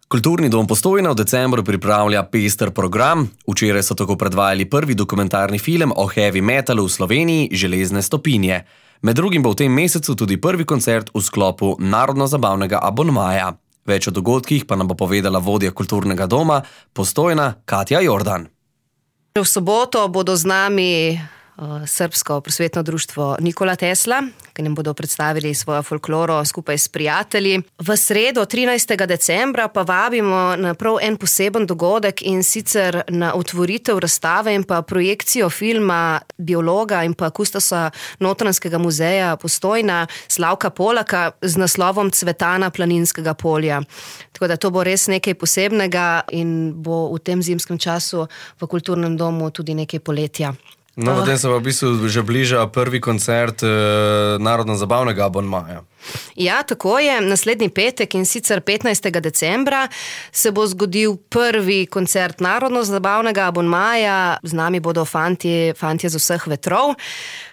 Kulturni dom Postojna v decembru pripravlja pester program. Včeraj so tako predvajali prvi dokumentarni film o heavy metalu v Sloveniji Železne stopinje. Med drugim bo v tem mesecu tudi prvi koncert v sklopu narodno-zabavnega abonmaja. Več o dogodkih pa nam bo povedala vodja kulturnega doma Postojna Katja Jordan. V soboto bodo z nami Srbsko prosvetno društvo Nikola Tesla, ki nam bodo predstavili svojo folkloro skupaj s prijatelji. V sredo 13. decembra pa vabimo na prav en poseben dogodek, in sicer na otvoritev razstave in pa projekcijo filma biologa in pa kustosa Notranjskega muzeja Postojna Slavka Polaka z naslovom Cvetana planinskega polja. Tako da to bo res nekaj posebnega in bo v tem zimskem času v kulturnem domu tudi nekaj poletja. No, potem se pa v bistvu že bliža prvi koncert narodno-zabavnega abonmaja. Ja, tako je. Naslednji petek, in sicer 15. decembra, se bo zgodil prvi koncert narodno-zabavnega abonmaja. Z nami bodo fantje z vseh vetrov.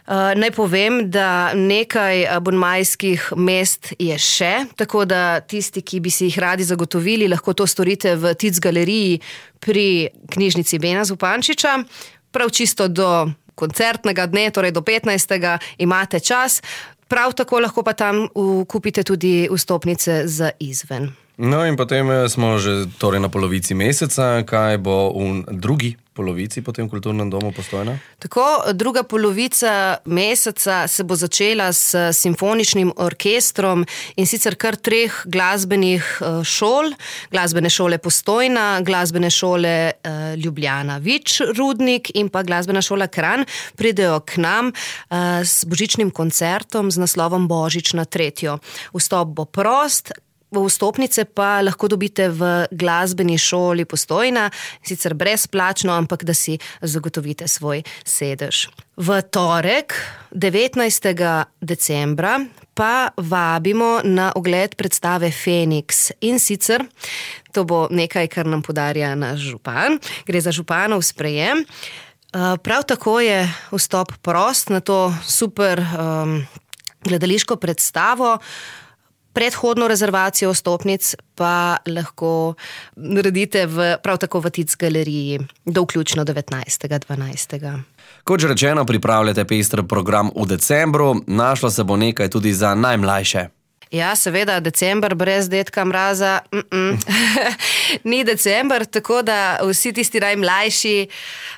Naj povem, da nekaj abonmajskih mest je še, tako da tisti, ki bi si jih radi zagotovili, lahko to storite v Tic galeriji pri knjižnici Bena Zupančiča. Prav čisto do koncertnega dne, torej do 15. imate čas. Prav tako lahko pa tam kupite tudi vstopnice za izven. No in potem smo že torej na polovici meseca. Kaj bo v drugi polovici po tem kulturnem domu Postojna? Tako, druga polovica meseca se bo začela s simfoničnim orkestrom, in sicer kar 3 glasbenih šol. Glasbene šole Postojna, glasbene šole Ljubljana Vič Rudnik in pa glasbena šola Kranj pridejo k nam s božičnim koncertom z naslovom Božič na tretjo. Vstop bo prost. Vstopnice pa lahko dobite v glasbeni šoli Postojna, sicer brezplačno, ampak da si zagotovite svoj sedež. V torek, 19. decembra, pa vabimo na ogled predstave Feniks. In sicer, to bo nekaj, kar nam podarja naš župan. Gre za županov sprejem. Prav tako je vstop prost na to super gledališko predstavo. Predhodno rezervacijo vstopnic pa lahko naredite prav tako v Tic galeriji do vključno 19.12. Kot že rečeno, pripravljate pester program v decembru. Našlo se bo nekaj tudi za najmlajše. Ja, seveda, december brez dedka Mraza ni december, tako da vsi tisti najmlajši,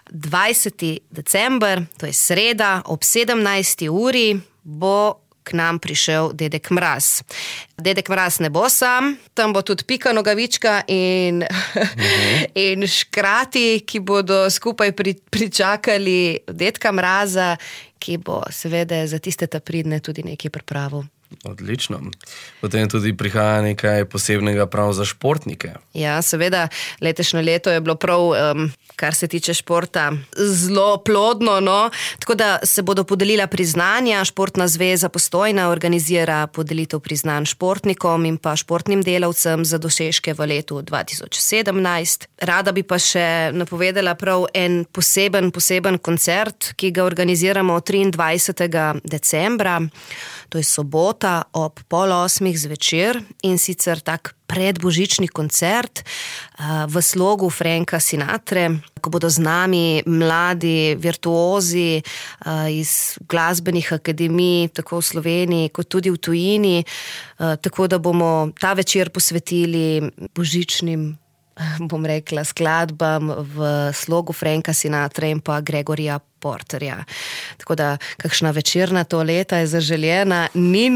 20. december, to je sreda, ob 17. uri bo k nam prišel Dedek Mraz. Dedek Mraz ne bo sam, tam bo tudi Pika Nogavička in škrati, ki bodo skupaj pričakali Dedka Mraza, ki bo seveda za tiste pridne tudi nekaj pripravil. Odlično. Potem tudi prihaja nekaj posebnega prav za športnike. Ja, seveda, letošnje leto je bilo prav, kar se tiče športa, zelo plodno, no. Tako da se bodo podelila priznanja. Športna zveza Postojna organizira podelitev priznanj športnikom in pa športnim delavcem za dosežke v letu 2017. Rada bi pa še napovedala prav en poseben koncert, ki ga organiziramo 23. decembra. To je sobota ob 7:30 zvečer, in sicer tak predbožični koncert v slogu Franka Sinatre, ko bodo z nami mladi virtuozi iz glasbenih akademij, tako v Sloveniji kot tudi v tujini, tako da bomo ta večer posvetili božičnim, bom rekla, skladbam v slogu Franka Sinatre in pa Gregorja Porterja. Tako da kakšna večerna toaleta je zaželjena, ni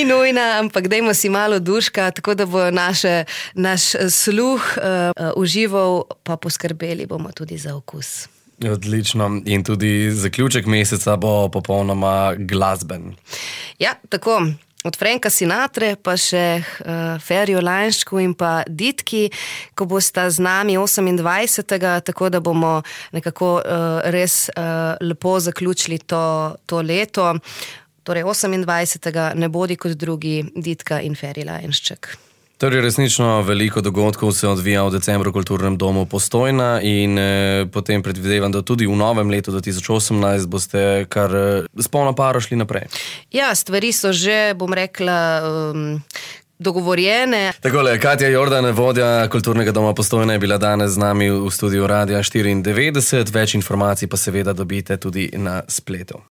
nujna, ampak dajmo si malo duška, tako da bo naš sluh užival, pa poskrbeli bomo tudi za okus. Odlično. In tudi zaključek meseca bo popolnoma glasben. Ja, tako. Od Franka Sinatre pa še Ferjo Lanšku in pa Ditki, ko bosta z nami 28. tako da bomo nekako res lepo zaključili to leto. Torej 28. ne bodi kot drugi Ditka in Ferji Lanšček. Torej, resnično veliko dogodkov se odvija v decembru v kulturnem domu Postojna in potem predvidevam, da tudi v novem letu 2018 boste kar s polno paro šli naprej. Ja, stvari so že, bom rekla, dogovorjene. Takole, Katja Jordan, vodja Kulturnega doma Postojna, je bila danes z nami v studiu Radia 94. Več informacij pa seveda dobite tudi na spletu.